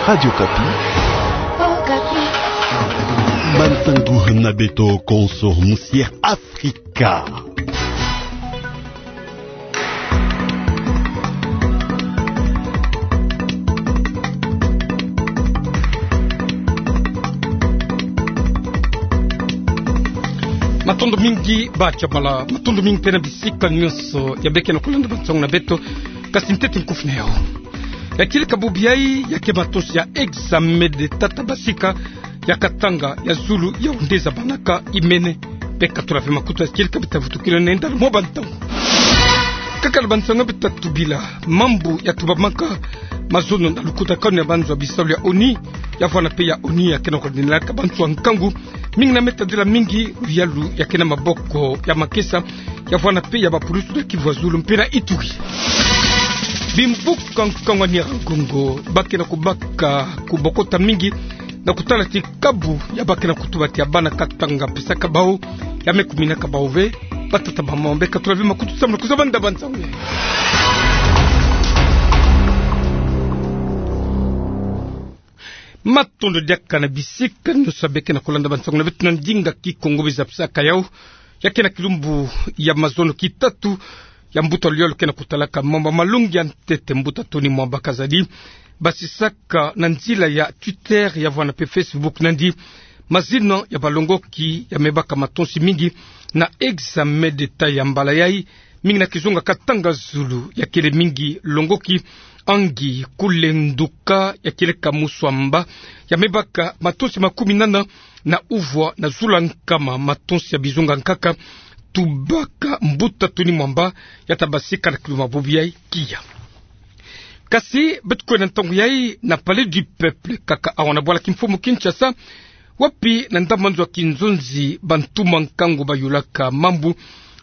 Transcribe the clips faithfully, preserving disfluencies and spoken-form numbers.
Radio Okapi. Okapi. Bansangu na beto konso, Musière Afrika. Matondo mingi, ba Chamala. Matondo mingi mpe na bisika nyonso ya beke na kulanda bansangu na beto. Kasi ntete nkufi na yau. Ya kieleka bubu yai, ya ke matosi ya examen d'État ta basika, ya katanga, ya zulu, ya ondeza banaka imene. Beka tula ve makutu ya kieleka bita vutukila na enda mo bantangu. Kaka na bansangu bita tubila, mambu ya tubamaka mazono na lukutakanu ya banzo ya bisalu ya ONU, ya vwanda mpe ya ONU ya ke na kudinelaka banzo ya nkangu, mingi na me tadila mingi, luyalu ya ke na maboko ya makesa, ya vwanda mpe ya bapulusu na Kivu ya Zulu mpe na Ituri. Bimvuka nkangu ya Niaragongo, ba ke na kubaka kubokota mingi, na kutala ti kabu ya ba ke na kutuba ti ya bana katanga pesaka bau, ya me kuminaka bau ve, batata bamama, beka tula ve makutu sambula kuzaba nda bansangu. Matondo diaka na bisika nyonso ya beke na kulanda bansangu na beto na ndinga Kikongo bizapisaka yau. Ya ke na kilumbu ya mazono ki tatu ya mbuta luyalu ke na kutalaka mambu ya malongi ya ntete, mbuta Tony Mwamba Kazadi basisaka na nzila ya Twitter, ya vwanda mpe Facebook nandi mazina ya balongoki ya me baka matosi mingi na examen d'État ya mbala yai, mingi na kizunga katanga zulu, ya kele mingi longoki Angi Kulenduka, ya kieleka Muswamba, ya me baka matosi makumi nana na uvwa na zulu ya nkama matosi ya bizunga nkaka. Tubaka mbuta Tony Mwamba, ya ta basika na kilumbu ya bubu yai kiya. Kasi beto kwenda ntangu yai na Palais du Peuple, kaka awa na bwala kimfumu Kinshasa, wapi na ndambu ya nzo ya kinzonzi bantuma nkangu bayulaka mambu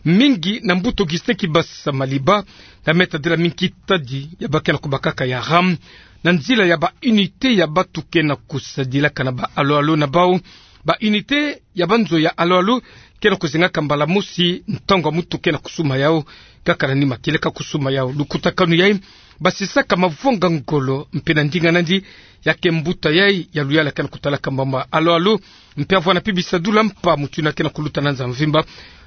mingi na mbuta Augustin Kibasa Maliba, na me tadila mingi kitadi ya ba ke na kubakaka ya ram, na nzila ya ba unité ya batu ke na kusadilaka na ba alo-alo na bau, ba unité ya banzo ya alo-alo ke na kuzengaka mbala mosi ntangu ya mutu ke na kusuma yau, kaka na nima kieleka kusuma yau. Lukutakanu yai basisaka mavonga ngolo mpe na ndinga nandi ya ke mbuta yai ya luyala ke na kutalaka mambu ya alo-alo, mpe ya vwanda mpe bisadula mpa mutindu ya ke na kuluta na nza mvimba.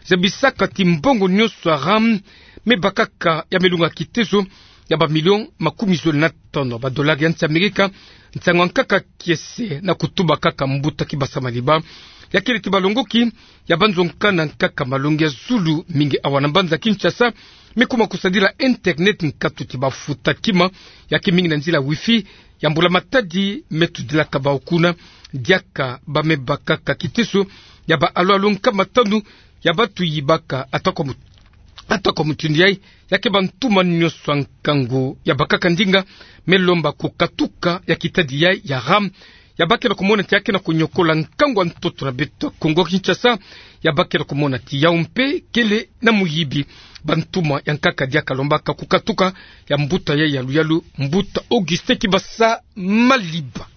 Zabisaka ti mbongo nyonso ya ram me bakaka ya me lunga kitezo ya ba million makumi zole na tono ba dollar ya nsi Amerika, nsangu ya nkaka kiese na kutuba kaka mbuta Kibasa Maliba. Ya kele ti balongoki ya banzo nkana nkaka malongi ya zulu mingi awa na mbanza Kinshasa me kuma kusadila internet, nkatu ti bafuta kima, ya ke mingi na nzila wifi, ya mbula-matadi me tudilaka bau kuna, diaka ba me bakaka kitezo ya ba alo-alo nkama tanu ya batu yibaka. Atako mu-, atako mutindu yai, ya ke bantuma nyonso ya nkangu ya bakaka ndinga me lomba kukatuka ya kitadi yai ya ram, ya ba ke na kumona ti ya ke na kunyokola nkangu ya ntoto na beto Kongo Kinshasa, ya ba ke na kumona ti yau mpe kele na muyibi. Bantuma ya nkaka diaka lombaka kukatuka ya mbuta yai ya luyalu, mbuta Augustin Kibasa Maliba.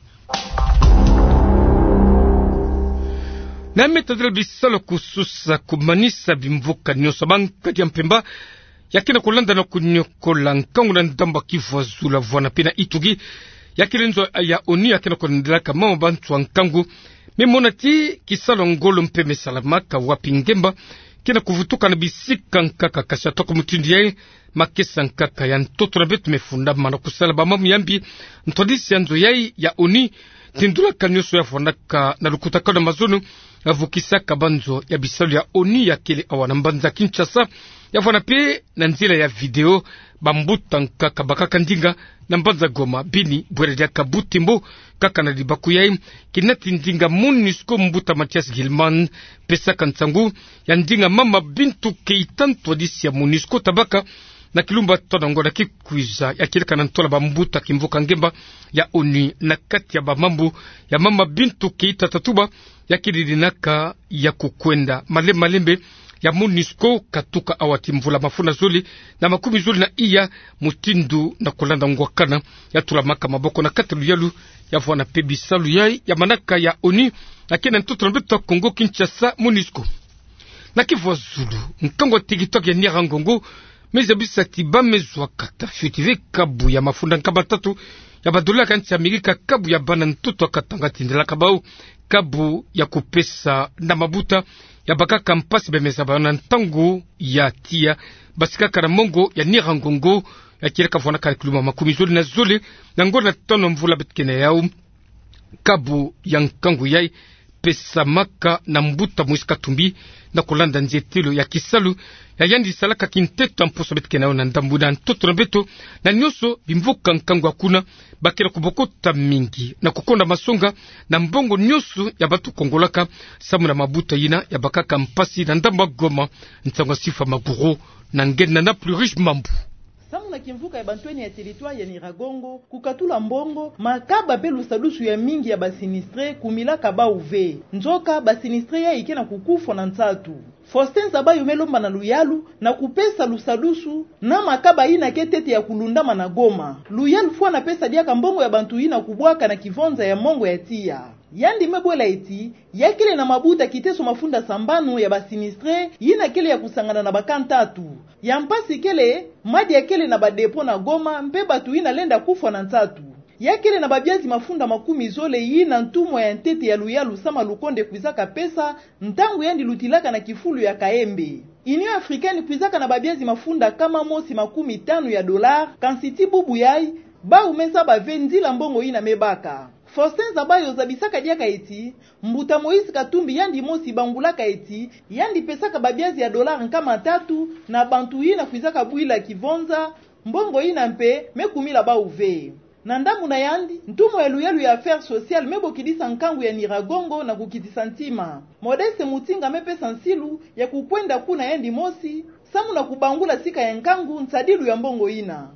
Na me tadila bisalu kususa kumanisa bimvuka nyonso, bankadi ya mpemba ya ke na kulanda na kunyokola nkangu na ndambu ya Kivu ya Zulu, vwanda mpe na Ituri. Ya kele nzo ya ONU ya ke na kulandelaka mama banzo ya nkangu me mona ti kisalu ya ngolo mpe me salamaka, wapi ngemba ke na kuvutuka na bisika nkaka, kasi atako mutindu yai, makesa nkaka ya ntoto na beto me fundama na kusala bamambu ya mbi. Ntwadisi ya nzo yai ya ONU, tindulaka nyonso ya vwandaka na lukutakanu ya mazono, ya vukisaka banzo ya bisalu ya ONU ya kele awa na mbanza Kinshasa, ya vwanda mpe na nzila ya video bambuta nkaka bakaka ndinga na mbanza Goma, Beni, bwera diaka Butembo. Kaka na libaku yai, kina ti ndinga MONUSCO, mbuta Mathias Gilman pesaka nsangu ya ndinga Mama Bintou Keita, ntwadisi ya MONUSCO, ta baka na kilumbu ya tona ngonda ki kwiza, ya kieleka na ntola bambuta kimvuka ngemba ya ONU. Na kati ya bamambu ya Mama Bintou Keita ta tuba, ya kele dinaka ya kukwenda malembe malembe ya MONUSCO katuka awa ti mvula mafunda zole na makumi zole na iya, mutindu na kulanda ngwakana ya tulamaka maboko na kati ya luyalu, ya vwanda mpe bisalu yai ya manaka ya ONU ya ke na ntoto na beto Kongo Kinshasa, MONUSCO. Na Kivu ya Zulu, nkangu ya TikTok ya Niarangongo me zabisa ti ba me zwaka ta fioti ve kabu ya mafunda nkama tatu ya ba dollars ya nsi Amerika, kabu ya bana ntoto ya Katanga tindelaka bau kabu ya kupesa na mabuta ya bakaka mpasi bemeza bau na ntangu ya tiya. Basikaka na mongo ya Nyiragongo, ya kieleka vwanaka na kiluma makumi zole na zole na ngonda tano mvula beto ke na yau. Kabu ya nkangu yai pesamaka na mbuta Moïse Katumbi, na kulanda nzietelo ya kisalu ya yandi salaka kinteto ya mposo beto ke na yau na ndambu na ntoto na beto, na nionso bimvuka nkangu ya kuna, ba ke na kubokota mingi na kukonda masonga na mbongo nionso ya bato kongolaka, samu na mabuta yina ya bakaka mpasi na ndambu ya Goma. Nsangu ya Sifa Maguru na nge na Plus Riche Mambu. Samu na kimvuka ya bantwenia ya territoire ya Nyiragongo, kukatula mbongo, makaba mpe lusadusu ya mingi ya ba sinistrés kumilaka bau ve. Nzoka ba sinistrés yai ke na kukufwa na nsatu. Faustin Zabayo me lomba na luyalu na kupesa lusadusu na makaba yina ke ntete ya kulundama na Goma. Luyalu fwana pesa diaka mbongo ya bantu yina kubwaka na kivonza ya mongo ya tiya. Yandi me bwela eti, ya kele na mabuta kiteso mafunda sambanu ya ba sinistrés yina kele ya kusangana na ba camps ntatu. Ya mpasi kele, madia kele na ba dépôts na Goma, mpe bato yina lenda kufwa na nsatu. Ya kele na babiazi mafunda makumi zole yina ntumwa ya ntete ya luyalu Sama Lukonde kwizaka pesa, ntangu yandi lutilaka na kifulu ya Kayembe. Union Africaine kwizaka na babiazi mafunda nkama mosi makumi tanu ya dollars, kansi ti bubu yai, bau me zaba ve nzila mbongo yina me baka. Faustin Zabayo zabisaka diaka eti, mbuta Moïse Katumbi yandi mosi bangulaka eti, yandi pesaka babiazi ya dollars nkama tatu na bantu yina kwizaka bwila kivonza, mbongo yina mpe me kumila bau ve. Na ndambu na yandi, ntumwa ya luyalu ya Affaires Sociales me bokidisa nkangu ya Nyiragongo na kukitisa ntima. Modeste Mutinga me pesa nsilu ya kukwenda kuna yandi mosi, samu na kubangula sika ya nkangu nsadilu ya mbongo yina.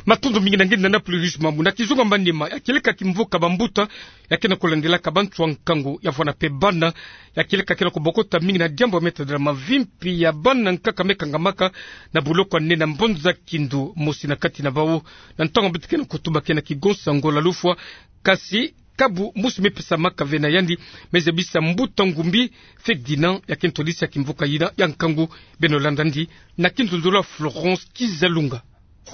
Matondo mingi na nge na Plus Riche Mambu. Na kizunga manima, ya kieleka kimvuka bambuta ya ke na kulandelaka bantu ya nkangu ya vwana mpe bana, ya kieleka ke na kubokota mingi na diambu ya me tadila mavimpi ya bana nkaka me kangamaka na boloko ya nene ya Mbanza Kindu. Mosi na kati na bau, na ntangu beto ke na kutuba, ke na kigonsa ngola lufwa, kasi kabu mosi me pesamaka ve na yandi, me zabisa mbuta Ngumbi Ferdinand, ya ke ntwadisi ya kimvuka yina ya nkangu. Beno landa yandi na kinzonzolo ya Florence Kizalunga.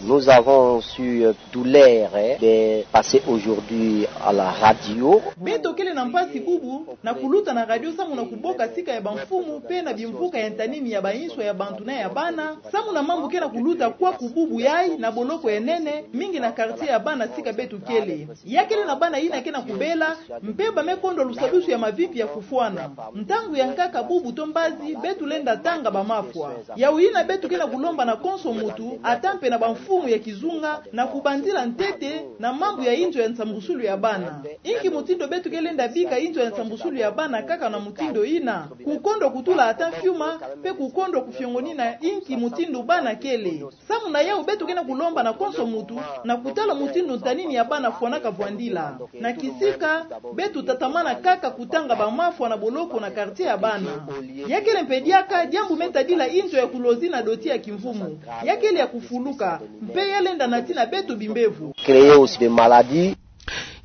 Nous avons su, euh, douleur, hein, de passer aujourd'hui à la radio. Beto kele na mpasi bubu na kuluta na radio samu na kuboka sika ya bamfumu mpe na bimvuka ya ntanini ya bainso ya bantu na ya bana, samu na mambu ke na kuluta kwaku bubu yai na boloko ya nene, mingi na quartier ya bana sika beto kele. Ya kele na bana yina ke na kubela, mpe ba me kondwa lusadusu ya mavimpi ya fufwana. Ntangu ya nkaka bubu to mbazi, beto lenda tanga bamafwa. Yawu yina beto ke na kulomba na konso muntu, ata mpe na bamfumu ya kizunga, na kubanzila ntete na mambu ya inzo ya nsambusulu ya bana. Inki mutindu beto ke lenda bika inzo ya nsambusulu ya bana kaka na mutindu yina? Kukondwa kutula ata fiuma, mpe kukondwa kufiongonina inki mutindu bana kele. Samu na yawu beto ke na kulomba na konso muntu na kutala mutindu ntanini ya bana fwanaka vwandila. Na kisika, beto tatamana kaka kutanga bamafwa na boloko na quartier ya bana. Ya kele mpe diaka diambu me tadila inzo ya kulozi na doti ya kimvumu. Ya kele ya kufuluka, mpe ya lenda nati na beto bimbevo. Créer aussi des maladies.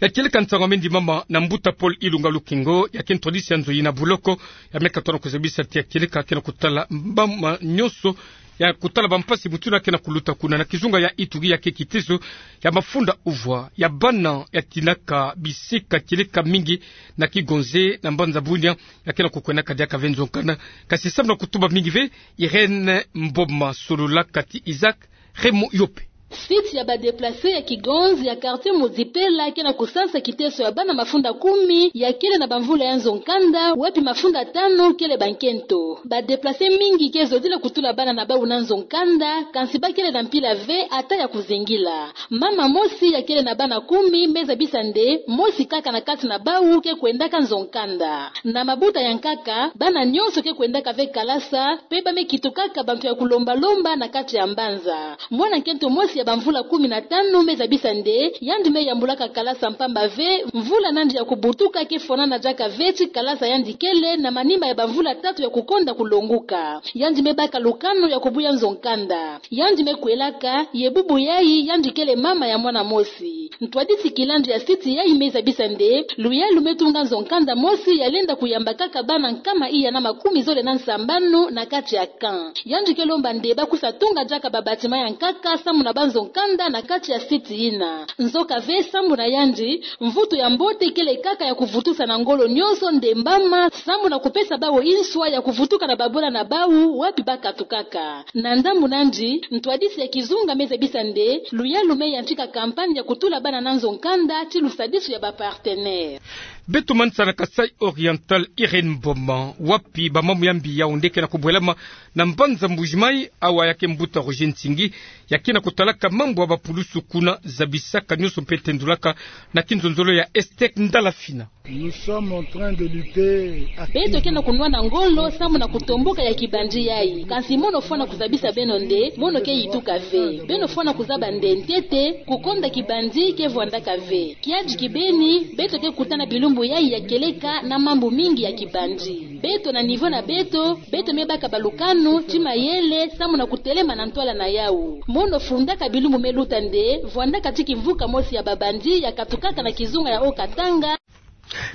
Ya kieleka nsangu ya me ndimama na mbuta Paul Ilunga Lukingo, ya ke ntwadisi ya nzo yina boloko, ya me katono kuzabisa ti ya kieleka ke na kutala bamama nyonso ya kutala bampasi mutu yina ke na kuluta kuna na kizunga ya Ituri, ya ke kiteso ya mafunda uvwa ya bana ya tinaka bisika kieleka mingi na Kigonze na Mbanza Bunia, ya ke na kukwendaka diaka ve nzo nkanda. Kasi samu na kutuba mingi ve, Irène Mboma sololaka ti Isaac Raymond Yope. Site ya ba déplacés ya Kigonze ya quartier Muzipela ke na kusansa kiteso ya bana mafunda kumi ya kele na bamvula ya nzo nkanda, wapi mafunda tanu kele bankento. Ba déplacés mingi ke zodila kutula bana na bawu na nzo nkanda, kansi ba kele na mpila ve ata ya kuzingila. Mama mosi ya kele na bana kumi me zabisa nde mosi kaka na kati na bawu ke kwendaka nzo nkanda. Na mabuta ya nkaka, bana nyonso ke kwendaka ve kalasa, mpe ba me kitukaka bantu ya kulomba-lomba na kati ya mbanza. Mwana nkento mosi ya bamvula kumi na tanu me zabisa nde yandi me yambulaka kalasa mpamba ve, mvula na yandi ya kubutuka ke fwanana diaka ve ti kalasa yandi kele na manima ya bamvula tatu ya kukonda kulonguka. Yandi me baka lukanu ya kubuya nzo nkanda. Yandi me kwelaka, ye bubu yai yandi kele mama ya mwana mosi. Ntwadisi kilandi ya site yai me zabisa nde luyalu me tunga nzo nkanda mosi ya lenda kuyamba kaka bana nkama iya na makumi zole na nsambanu na kati ya camp. Yandi ke lomba nde ba kusa tunga diaka ba bâtiments ya nkaka samu na ba nzo nkanda na kati ya site yina. Nzoka ve, sambu na yandi, mvutu ya mbote kele kaka ya kuvutusa na ngolo nionso ndembama, sambu na kupesa bawu inswa ya kuvutuka na babwela na bawu wapi bakatukaka. Na ndambu nandi, ntwadisi ya kizunga me zabisa nde luyalu me yantika campagne ya kutula bana na nzo nkanda ti lusadisu ya ba partenaires. Beto manisa na Kasaï Oriental, Irène Mboma, wapi ba mambu ya mbi Yaoundé ke na kubwelama na mbanza Mbuji-Mayi, awa ya ke mbuta Roger Nsingi ya ke na kutalaka mambu ya bapulusu kuna, zabisaka nionso mpe tendulaka na kinzonzolo ya Esther Ndalafina. Nous sommes en train de lutter activement. Beto ke na kunwana ngolo sambu na kutomboka ya kibandi yayi. Kansi mono fwana kuzabisa beno nde mono ke yituka ve. Beno fwana kuzaba nde ntete, kukonda kibandi ke vwandaka ve. Kiadi kibeni, beto ke kutana bilumbu yayi ya kieleka na mambu mingi ya kibandi. Beto na niveau na beto, beto me baka balukanu ti mayele sambu na kutelema na ntwala na yawu. Mono fundaka bilumbu me luta nde vwandaka ti kimvuka mosi ya babandi ya katukaka na kizunga ya Haut-Katanga.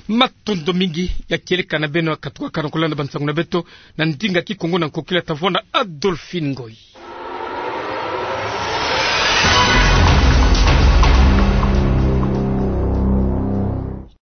Matondo mingi ya kieleka na beno ya katukaka na kulanda bansangu na beto na ndinga Kikongo na nkokila ta vwanda Adolphine Ngoyi.